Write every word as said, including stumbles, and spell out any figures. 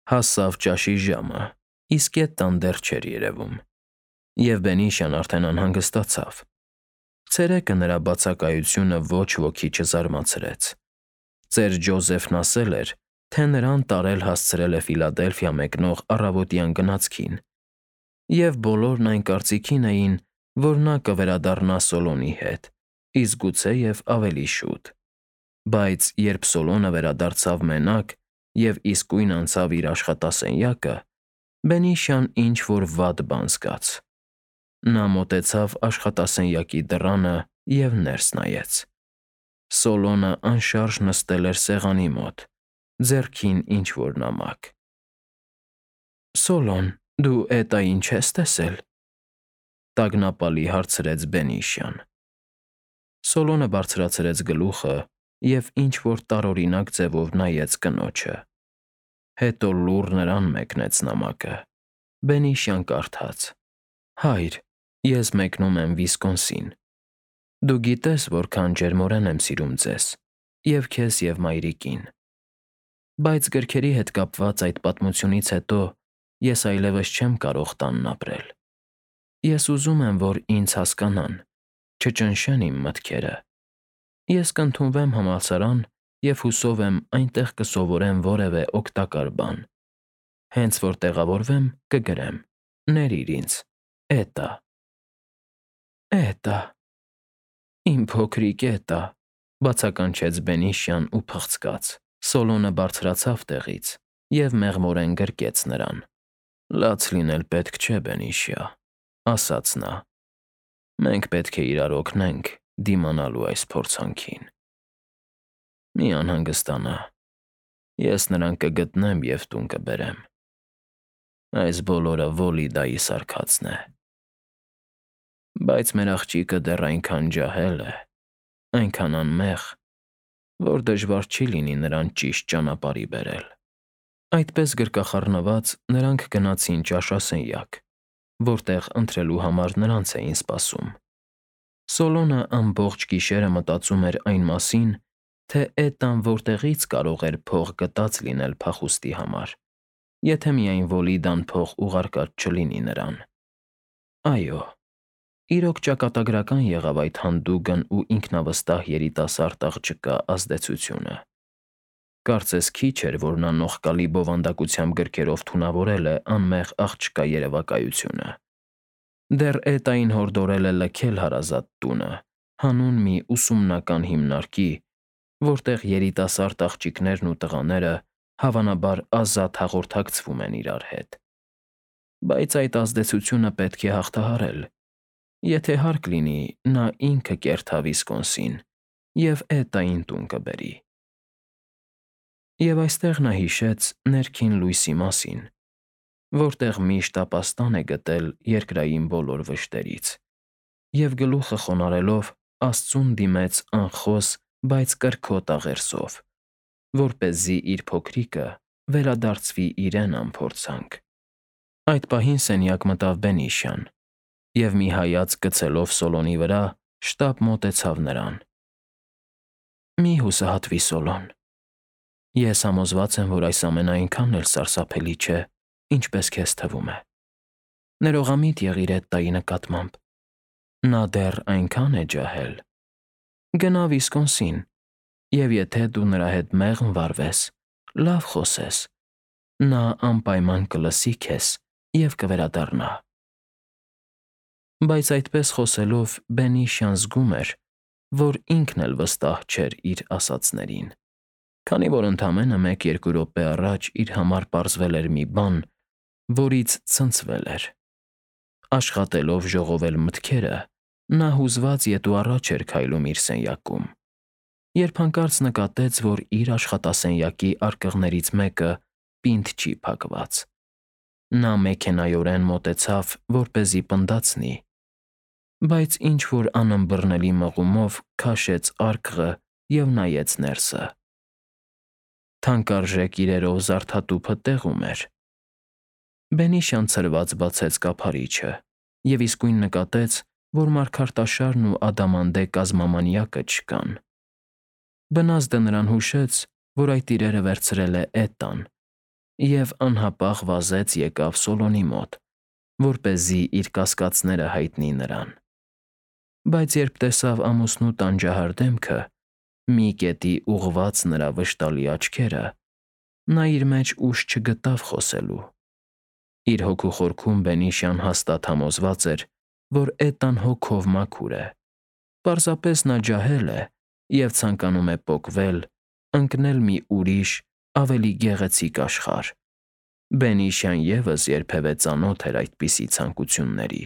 Հասավ ճաշի ժամը, իսկ Էդտան դեռ չէր երևում, և Բենիշան արդեն անհանգստացավ։ Ցերեկը նրա բացակայությունը ոչ ոքի չզարմացրեց։ Ծեր Ջոզեֆն ասել էր, թե նրան տարել հասցրել է Ֆիլադելֆիա մեկնող առավոտյան գնացքին, և բոլորն այն կարծիքին էին, որ նա կվերադառնա Սոլոմոնի հետ, իսկ գուցեև ավելի շուտ։ Բայց երբ Սոլոմոնը վերադարձավ մենակ և իսկույն անցավ իր աշխատասենյակը, Բենիշան ինչ֊որ վատ բան զգաց։ Նա մոտեցավ աշխատասենյակի դռանը և ներս նայեց։ Սոլոմոնը անշարժ նստել էր սեղանի մոտ, ձեռքին ինչ֊որ նամակ։ ֊ Սոլոմոն, դու Էտային չե՞ս տեսել,֊ տագնապալի հարցրեց Բենիշան։ Սոլոմոնը բարձրացրեց գլուխը և ինչ֊որ տարօրինակ ձևով նայեց կնոջը։ Հետո լուռ նրան մեկնեց նամակը։ Բենիշան կարդաց. «Հայր, ես մեկնում եմ Վիսկոնսին։ Դու գիտես որքան ջերմորեն եմ սիրում ձեզ, և քեզ, և մայրիկին։ Բայց գրքերի հետ կապված այդ պատմությունից հետո ես այլևս չեմ կարող տանն ապրել։ Ես ուզում եմ, որ ինձ հասկանան, չճնշեն իմ մտքերը։ Ես կընդունվեմ համալսարան և հուսով եմ այնտեղ կսովորեմ որևէ օգտակար բան։ Հենց որ տեղավորվեմ, կգրեմ. ներիր ինձ, Էտա»։ ֊ Իմ փոքրիկ Էտա,֊ բացականչեց Բենիշան ու փղցկաց։ Սոլոմոնը բարձրացավ տեղից և մեղմորեն գրկեց նրան։ «Լաց լինել պետք չէ, Բենիշա,֊ ասաց նա։ Մենք պետք է իրար օգնենք դիմանալու այս փորձանքին։ Մի անհանգստանա, ես նրան կգտնեմ և տուն կբերեմ։ Այս բոլորը Վոլիդայի սարքածն է։ Բայց մեր աղջիկը դեռ այնքան ջահել է, այնքան անմեղ, որ դժվար չի լինի նրան ճիշտ ճանապարհի բերել»։ Այդպես գրկախառնված նրանք գնացին ճաշասենյակ, որտեղ ընթրելու համար նրանց էին սպասում։ Սոլոմոնը ամբողջ գիշերը մտածում էր այն մասին, թե Էտան որտեղից կարող էր փող գտած լինել փախուստի համար, եթե միայն Վոլիդան փող ուղարկած չլինի նրան։ Այո, իրոք ճակատագրական եղավ այդ հանդուգն ու ինքնավստահ երիտասարդ աղջկա ազդեցությունը։ Կարծես քիչ էր, որ նա նողկալի բովանդակությամբ գրքերով թունավորել է անմեղ աղջկա երևակայությունը։ Դեռ Էտային հորդորել է լքել հարազատ տունը, հանուն մի ուսումնական հիմնարկի, որտեղ երիտասարդ աղջիկներն ու տղաները հավանաբար ազատ հաղորդակցվում են իրար հետ։ Բայց այդ ազդեցությունը պետք է հաղթահարել։ Եթե հարկ լինի, նա ինքը կերթա Վիսկոնսին և Էտային տուն կբերի։ Եվ այստեղ նա հիշեց ներքին լույսի մասին, որտեղ միշտ ապաստան է գտել երկրային բոլոր վշտերից, և գլուխը խոնարհելով Աստծուն դիմեց անխոս, բայց կրքոտ աղերսով, որպեսզի իր փոքրիկը վերադարձվի իրեն անփորձանք։ Այդ պահին սենյակ մտավ Բենիշան և, մի հայացք գցելով Սոլոմոնի վրա, շտապ մոտեցավ նրան։ ֊ Մի՛ հուսահատվիր, Սոլոմոն, ես համոզված եմ, որ այս ամենը այնքան էլ սարսափելի չէ, ինչպես քեզ թվում է։ Ներողամիտ եղիր Էտտայի նկատմամբ։ Նա դեռ այնքան է ջահել։ Գնա Վիսկոնսին, և եթե դու նրա հետ մեղմ վարվես, լավ խոսես, նա անպայման կլսի քեզ և կվերադառնա։ Բայց այդպես խոսելով Բենիշան զգում էր, որ ինքն էլ վստահ չէր իր ասածներին, քանի որ ընդամենը մեկ֊երկու րոպե առաջ իր համար պարզվել էր մի բան, որից ցնցվել էր։ Աշխատելով ժողովել մտքերը, նա հուզված ետ ու առաջ էր քայլում իր սենյակում, երբ հանկարծ նկատեց, որ իր աշխատասենյակի արկղներից մեկը պինդ չի փակված։ Նա մեքենայորեն մոտեցավ, որպեսզի պնդացնի, բայց ինչ֊որ անըմբռնելի մղումով քաշեց արկղը և նայեց ներսը։ Թանկարժեք իրերով զարդատուփը տեղում էր։ Բենիշան ցրված բացեց կափարիչը և իսկույն նկատեց, որ մարգարտաշարն ու ադամանդե կազմամանյակը չկան։ Բնազդը նրան հուշեց, որ այդ իրերը վերցրել է Էտան, և անհապաղ վազեց եկավ Սոլոնի մոտ, որպեսզի իր կասկածները հայտնի նրան։ Բայց երբ տեսավ ամուսնու տանջահար դեմքը, մի կետի ուղղված նրա վշտալի աչքերը, նա իր մեջ ուժ չգտավ խոսելու։ Իր հոգու խորքում բենիշյան հաստատ համոզված էր, որ Էտան հոգով մաքուր է, պարզապես նա ջահել է և ցանկանում է պոկվել, ընկնել մի ուրիշ, ավելի գեղեցիկ աշխարհ։ Բենիշյան ևս երբևէ ծանոթ էր այդպիսի ցանկությունների։